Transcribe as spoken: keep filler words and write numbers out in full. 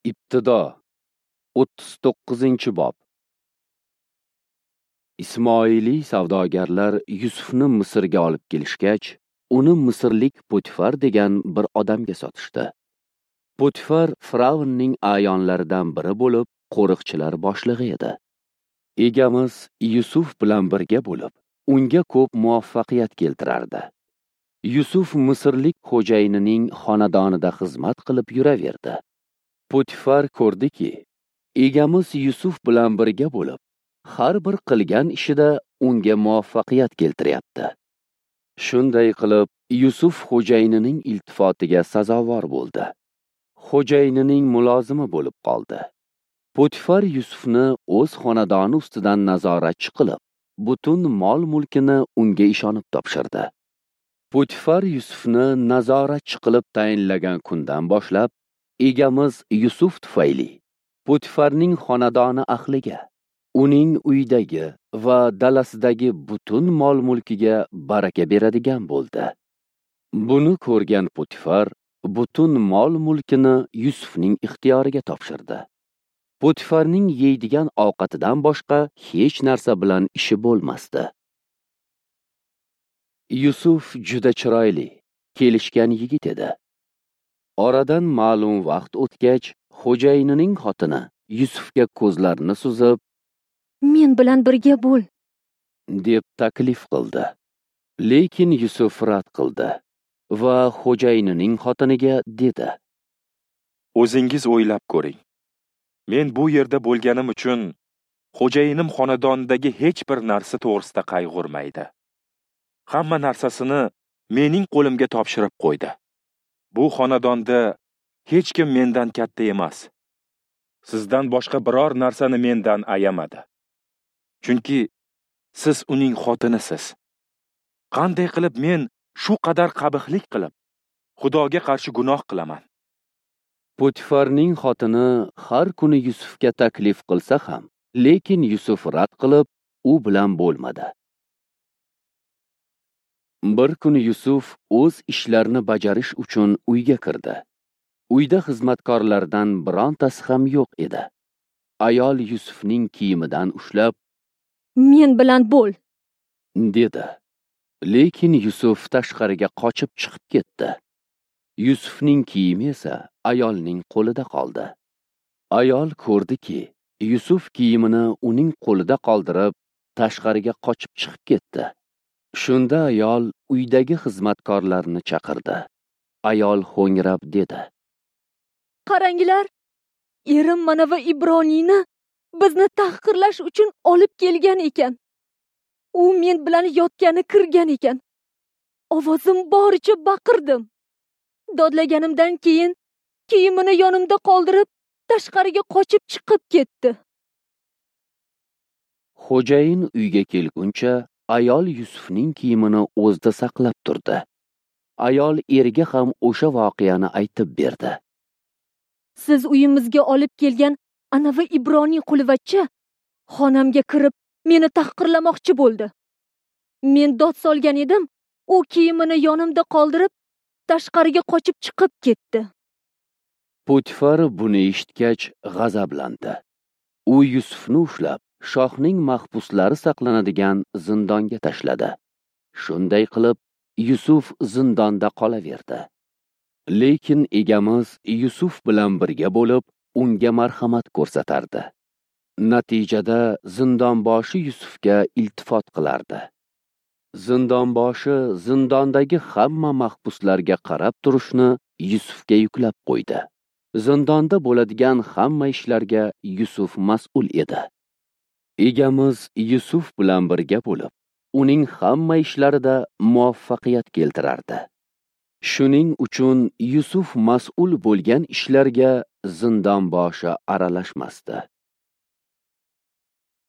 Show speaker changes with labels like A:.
A: Ibtido o'ttiz to'qqizinchi bob. Ismoiliy savdogarlar Yusufni Misrga olib kelishgach, uni misrlik Potifar degan bir odamga sotishdi. Potifar Firavnning a'yonlaridan biri bo'lib, qo'riqchilar boshlig'i edi. Egamiz Yusuf bilan birga bo'lib, unga ko'p muvaffaqiyat keltirardi. Yusuf misrlik xo'jayinining xonadonida xizmat qilib yuraverdi. Potifar ko'rdiki, egamiz Yusuf bilan birga bo'lib, har bir qilgan ishida unga muvaffaqiyat keltiryapti. Shunday qilib, Yusuf xo'jayinining iltifotiga sazovor bo'ldi. Xo'jayinining mulozimi bo'lib qoldi. Potifar Yusufni o'z xonadoni ustidan nazoratchi qilib, butun mol-mulkini unga ishonib topshirdi. Potifar Yusufni nazoratchi qilib tayinlagan kundan boshlab, egamiz Yusuf tufayli Potifarning xonadoni ahliga, uning uyidagi va dalasidagi butun mol-mulkiga baraka beradigan bo'ldi. Buni ko'rgan Potifar butun mol-mulkini Yusufning ixtiyoriga topshirdi. Potifarning yeydigan ovqatidan boshqa hech narsa bilan ishi bo'lmasdi. Yusuf juda chiroyli, kelishgan yigit edi. Oradan ma'lum vaqt o'tgach, xo'jayinining xotini Yusufga ko'zlarini suzib,
B: "Men bilan birga bo'l",
A: deb taklif qildi. Lekin Yusuf rad qildi va xo'jayinining xotiniga dedi:
C: "O'zingiz o'ylab ko'ring. Men bu yerda bo'lganim uchun xo'jayinim xonadonidagi hech bir narsa to'g'risida qayg'urmaydi. Hamma narsasini mening qo'limga topshirib qo'ydi. Bu xonadonda hech kim mendan katta emas. Sizdan boshqa biror narsani mendan ayamadi. Chunki siz uning xotinisiz. Qanday qilib men shu qadar qabihlik qilib, Xudoga qarshi gunoh qilaman?"
A: Potifarning xotini har kuni Yusufga taklif qilsa ham, lekin Yusuf rad qilib, u bilan bo'lmadi. Bir kuni Yusuf o'z ishlarini bajarish uchun uyga kirdi. Uyda xizmatkorlardan birontasi ham yo'q edi. Ayol Yusufning kiyimidan ushlab,
B: "Men bilan bo'l",
A: dedi. Lekin Yusuf tashqariga qochib chiqib ketdi. Yusufning kiyimi esa ayolning qo'lida qoldi. Ayol ko'rdiki, Yusuf kiyimini uning qo'lida qoldirib, tashqariga qochib chiqib ketdi. Shunda ayol uydagi xizmatkorlarni chaqirdi. Ayol ho'ngrab dedi:
B: "Qaranglar, erim mana va Ibroniyni bizni tahqirlash uchun olib kelgan ekan. U men bilan yotgani kirgan ekan. Ovozim boricha baqirdim. Dodlaganimdan keyin kiyimini yonimda qoldirib, tashqariga qochib chiqib ketdi."
A: Xo'jayin uyga kelguncha ayol Yusufning kiyimini o'zida saqlab turdi. Ayol eriga ham o'sha voqeani aytib berdi.
B: "Siz uyimizga olib kelgan anavi Ibroniy qulvachcha xonamga kirib meni tahqirlamoqchi bo'ldi. Men dod solgan edim, u kiyimini yonimda qoldirib, tashqariga qochib chiqib ketdi."
A: Potifar buni eshitgach g'azablandi. U Yusufni ushlab, shohning mahbuslari saqlanadigan zindonga tashladi. Shunday qilib, Yusuf zindonda qolaverdi. Lekin egamiz Yusuf bilan birga bo'lib, unga marhamat ko'rsatardi. Natijada zindonboshi Yusufga iltifot qilardi. Zindonboshi zindondagi hamma mahbuslarga qarab turishni Yusufga yuklab qo'ydi. Zindonda bo'ladigan hamma ishlarga Yusuf mas'ul edi. Egamiz Yusuf bilan birga bo'lib, uning hamma ishlarida muvaffaqiyat keltirardi. Shuning uchun Yusuf mas'ul bo'lgan ishlarga zindonboshi aralashmasdi.